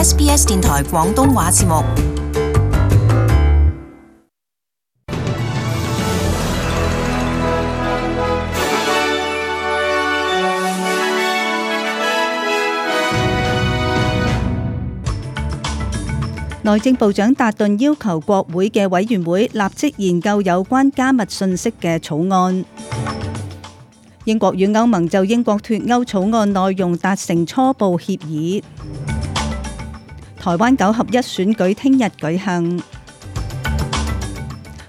SBS 電台廣東話節目。內政部長達頓要求國會嘅委員會立即研究有關加密信息嘅草案。英國與歐盟就英國脫歐草案內容達成初步協議。台灣9合1選舉聽日舉行。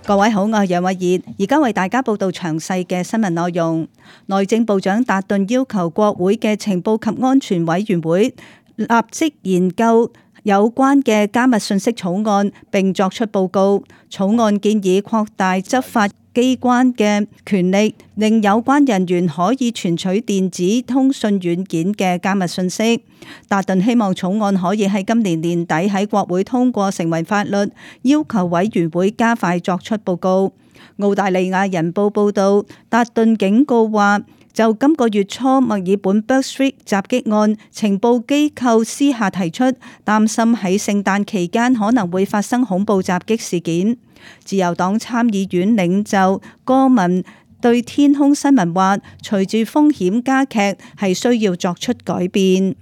各位好，我係楊慧儀，而家為大家報道詳細嘅新聞內容。內政部長達頓要求國會嘅情報及安全委員會立即研究有關嘅加密信息草案，並作出報告。草案建議擴大執法機關嘅權力，令有關人員可以存取電子通訊軟件嘅加密信息。達頓希望草案可以喺今年年底喺國會通過成為法律，要求委員會加快作出報告。澳大利亞人報報導，達頓警告話，就今個月初墨爾本 Bourke Street 襲擊案，情報機構私下提出擔心喺聖誕期間可能會發生恐怖襲擊事件。自由黨參議院領袖戈文對天空新聞話，隨住風險加劇，係需要作出改變。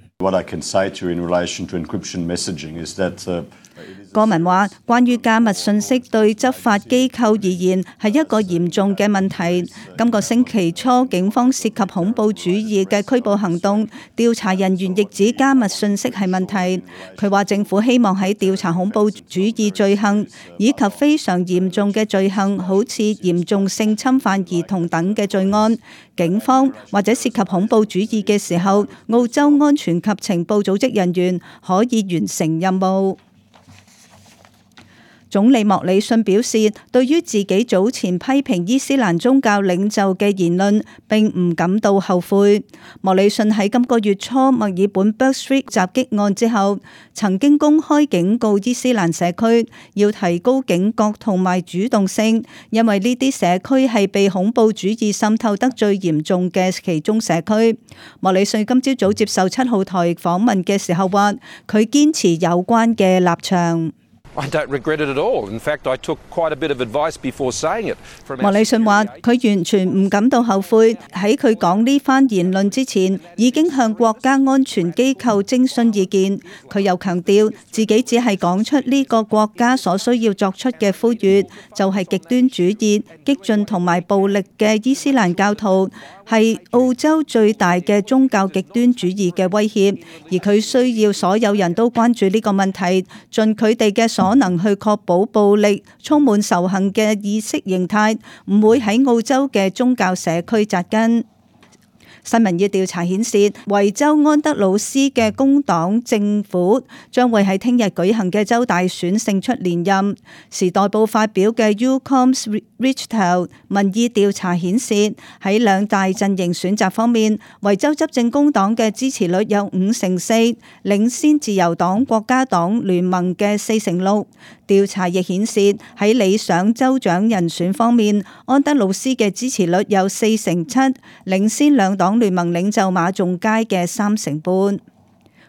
戈文話，關於加密信息對執法機構而言係一個嚴重嘅問題。今個星期初，警方涉及恐怖主義嘅拘捕行動，調查人員亦指加密信息係問題。佢話政府希望喺調查恐怖主義罪行以及非常嚴重嘅罪行，好似嚴重性侵犯兒童等嘅罪案，警方或者涉及恐怖主義嘅時候，澳洲安全及情報組織人員可以完成任務。總理莫里遜表示，對於自己早前批評伊斯蘭宗教領袖嘅言論並唔感到後悔。莫里遜喺今個月初墨爾本 Bourke Street 襲擊案之後，曾經公開警告伊斯蘭社區要提高警覺同埋主動性，因為呢啲社區係被恐怖主義滲透得最嚴重嘅其中社區。莫里遜今朝早接受7號台訪問嘅時候話，佢堅持有關嘅立場。I don't regret it at all. In fact, I took quite a bit of advice before saying it. 莫里遜話：佢完全唔感到後悔，喺佢講呢番言論之前，已經向國家安全機構徵詢意見。佢又強調自己只係講出呢個國家所需要作出嘅呼籲，就係極端主義、激進同埋暴力嘅伊斯蘭教徒係澳洲最大嘅宗教極端主義嘅威脅，而佢需要所有人都關注呢個問題，盡佢哋嘅所能去確保暴力、充滿仇恨嘅意識形態唔會喺澳洲嘅宗教社區扎根。新民意調查顯示，維州安德魯斯嘅工黨政府將會喺聽日舉行嘅州大選勝出連任。時代報發表嘅 UComs Richtau 民意調查顯示，喺兩大陣營選擇方面，維州執政工黨嘅支持率有5%，領先自由黨國家黨聯盟嘅4%。調查亦顯示，喺理想州長人選方面，安德魯斯嘅支持率有47%，領先兩黨聯盟領袖馬仲街嘅3%半。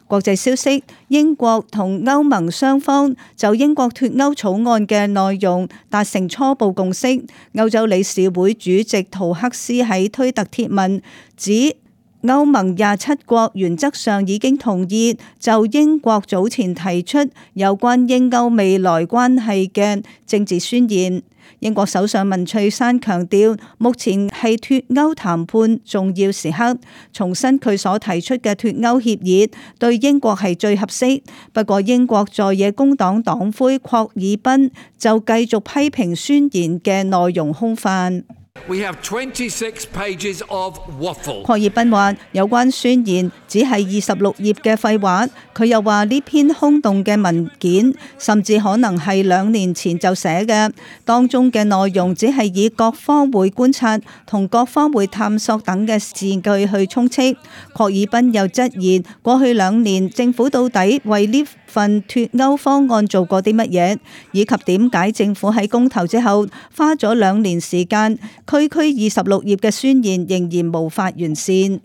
國際消息，英國同歐盟雙方就英國脫歐草案嘅內容達成初步共識。歐洲理事會主席圖克斯喺推特貼文指，歐盟27國原則上已經同意就英國早前提出有關英歐未來關係嘅政治宣言。英國首相文翠珊強調，目前係脫歐談判重要時刻，重申佢所提出嘅脫歐協議對英國係最合適。不過，英國在野工黨黨魁霍爾賓就繼續批評宣言嘅內容空泛。We have 26 pages of waffle. 霍爾賓話：有關宣言只係26頁嘅廢話。佢又話呢篇空洞嘅文件，甚至可能係2年前就寫嘅，當中嘅內容只係以各方會觀察同各方會探索等嘅字句去充斥。霍爾賓又質疑過去2年政府到底為呢份脫歐方案做過啲乜嘢，以及點解政府喺公投之後花咗2年時間，區區26頁嘅宣言仍然無法完善。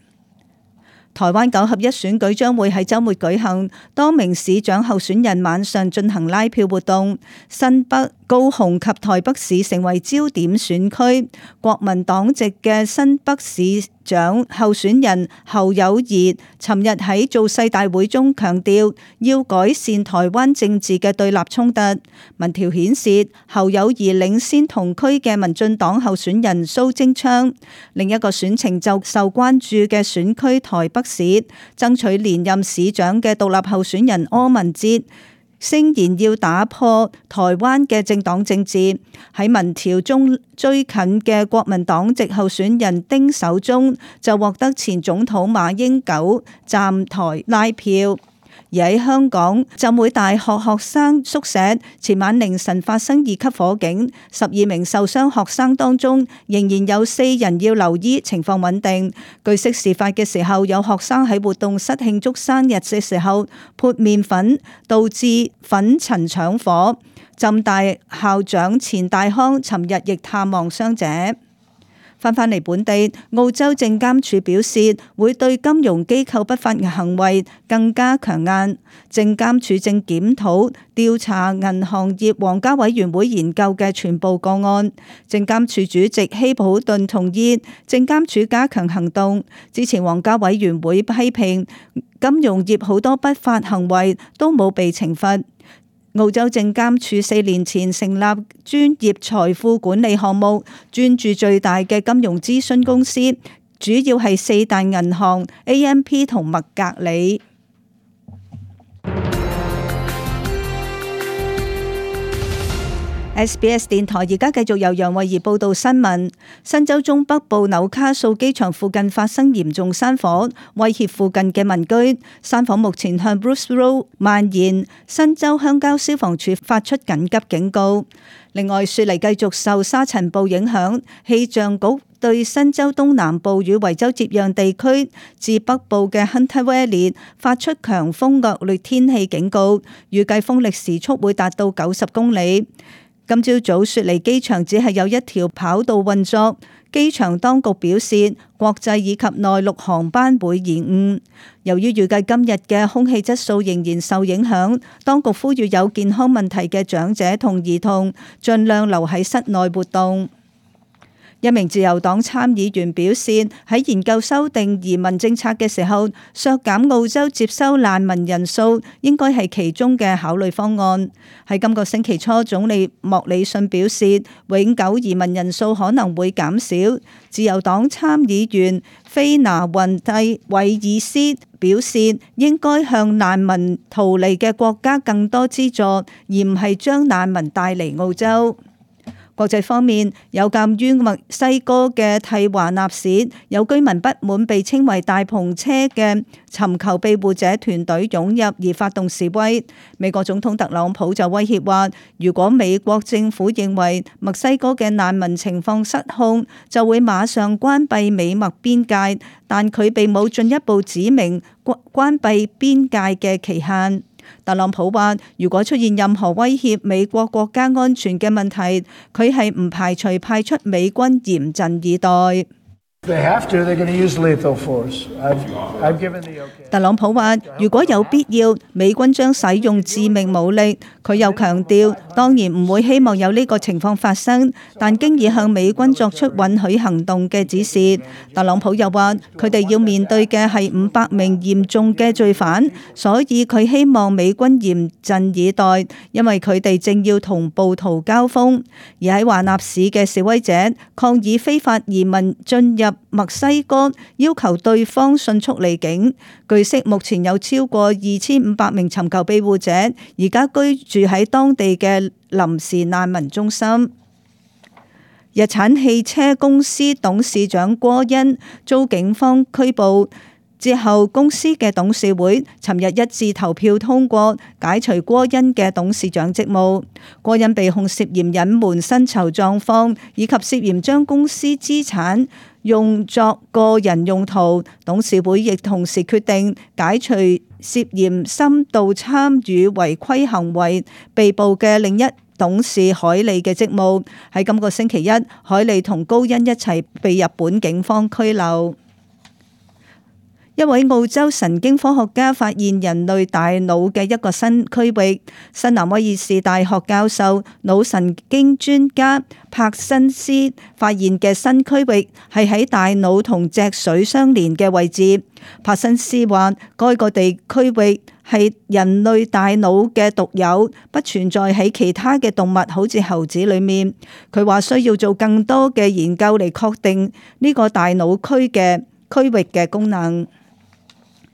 台灣9合1選舉將會喺週末舉行，多名市長候選人晚上進行拉票活動，新北、高雄及台北市成為焦點選區。國民黨籍嘅新北市長候選人侯友宜尋日喺造勢大會中強調，要改善台灣政治嘅對立衝突。民調顯示侯友宜領先同區嘅民進黨候選人蘇貞昌。另一個選情就受關注嘅選區台北市，爭取連任市長嘅獨立候選人柯文哲聲言要打破台灣嘅政黨政治。喺民調中追近嘅國民黨籍候選人丁守中就獲得前總統馬英九站台拉票。而喺香港浸會大學學生宿舍前晚凌晨發生2級火警，12名受傷學生當中仍然有4人要留醫，情況穩定。據悉事發嘅時候，有學生喺活動室慶祝生日嘅時候潑麵粉，導致粉塵搶火。浸大校長錢大康尋日亦探望傷者。返嚟本地，澳洲證監處表示會對金融機構不法嘅行為更加強硬。證監處正檢討調查銀行業皇家委員會研究嘅全部個案。證監處主席希普頓同意證監處加強行動。之前皇家委員會批評金融業好多不法行為都冇被懲罰。澳洲證監處4年前成立專業財富管理項目，專注最大嘅金融諮詢公司，主要係4大銀行 AMP 同麥格里。SBS 電台而家繼續由楊慧儀報道新聞。新州中北部紐卡素機場附近發生嚴重山火，威脅附近嘅民居。山火目前向 Bruce Road 蔓延，新州鄉郊消防處發出緊急警告。另外，雪梨繼續受沙塵暴影響，氣象局對新州東南部與維州接壤地區至北部嘅 Hunter Valley 發出強風惡劣天氣警告，預計風力時速會達到90公里。今朝早雪梨機場只係有一條跑道運作，機場當局表示國際以及內陸航班會延誤。由於預計今日嘅空氣質素仍然受影響，當局呼籲有健康問題嘅長者同兒童盡量留喺室內活動。一名自由黨參議員表示，喺研究修訂移民政策嘅時候，削減澳洲接收難民人數應該係其中嘅考慮方案。喺今個星期初，總理莫里遜表示，永久移民人數可能會減少。自由黨參議員菲拿雲蒂韋爾斯表示，應該向難民逃離嘅國家更多資助，而唔係將難民帶嚟澳洲。國際方面，有鑑於墨西哥嘅蒂華納市有居民不滿被稱為大篷車嘅尋求庇護者團隊湧入而發動示威，美國總統特朗普就威脅話，如果美國政府認為墨西哥嘅難民情況失控，就會馬上關閉美墨邊界，但佢並冇進一步指明關閉邊界嘅期限。特朗普話，如果出現任何威脅美國國家安全嘅問題，佢係唔排除派出美軍嚴陣以待。特朗普話，如果有必要，美軍將使用致命武力。佢又強調，當然唔會希望有呢個情況發生，但經已向美軍作出允許行動嘅指示。特朗普又話，佢哋要面對嘅係500名嚴重嘅罪犯，所以佢希望美軍嚴陣以待，因為佢哋正要同暴徒交鋒。而喺華納市嘅示威者抗議非法移民進入墨西哥，要求對方迅速離境。據悉，目前有超過2500名尋求庇護者而家居住喺當地嘅臨時難民中心。日產汽車公司董事長郭恩遭警方拘捕之後，公司嘅董事會尋日一致投票通過解除郭恩嘅董事長職務。郭恩被控涉嫌隱瞞薪酬狀況，以及涉嫌將公司資產用作個人用途。董事會亦同時決定解除涉嫌深度參與違規行為被捕嘅另一董事海利嘅職務。喺今個星期一，海利同高恩一齊被日本警方拘留。一位澳洲神經科學家發現人類大腦嘅一個新區域。新南威爾士大學教授、腦神經專家柏辛斯發現嘅新區域係喺大腦同脊髓相連嘅位置。柏辛斯話，該個地區域係人類大腦嘅獨有，不存在喺其他嘅動物，好似猴子裏面。佢話需要做更多嘅研究嚟確定呢個大腦區域嘅功能。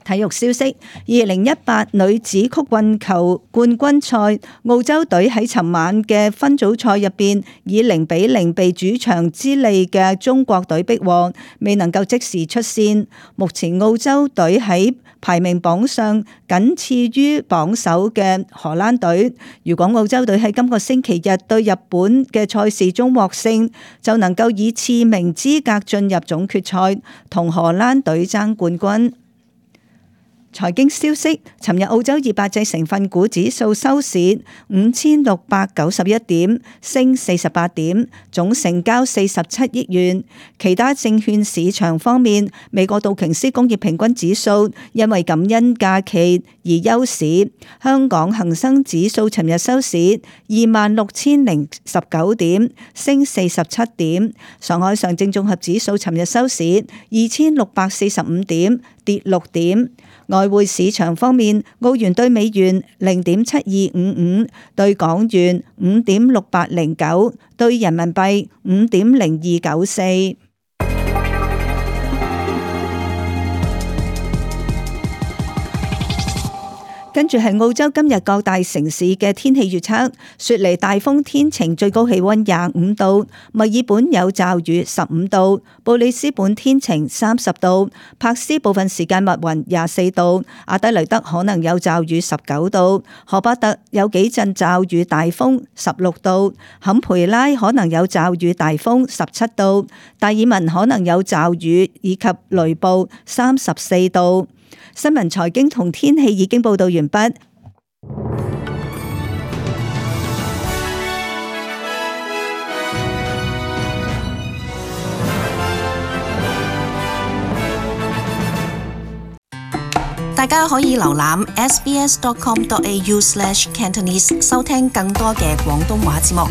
體育消息：2018女子曲棍球冠軍賽，澳洲隊喺尋晚嘅分組賽入邊以0-0被主場之利嘅中國隊逼和，未能夠即時出線。目前澳洲隊喺排名榜上僅次於榜首嘅荷蘭隊。如果澳洲隊喺今個星期日對日本嘅賽事中獲勝，就能夠以次名資格進入總決賽，同荷蘭隊爭冠軍。財經消息：尋日澳洲200隻成分股指數收市5691點，升48點，總成交47億元。其他證券市場方面，美國道瓊斯工業平均指數因為感恩假期而休市。香港恒生指數尋日收市26,019點，升47點。上海上證綜合指數尋日收市2645點，跌6點。外匯市場方面，澳元對美元0.7255，對港元5.6809，對人民幣5.0294。跟住係澳洲今日各大城市嘅天氣預測：雪梨大風天晴，最高氣溫25度；墨爾本有驟雨15度；布里斯本天晴30度；柏斯部分時間密雲24度；阿德萊德可能有驟雨19度；荷巴特有幾陣驟雨大風16度；坎培拉可能有驟雨大風17度；達爾文可能有驟雨以及雷暴34度。新聞、財經同天氣已經報道完畢。大家可以瀏覽 sbs.com.au/cantonese 收聽更多嘅廣東話節目。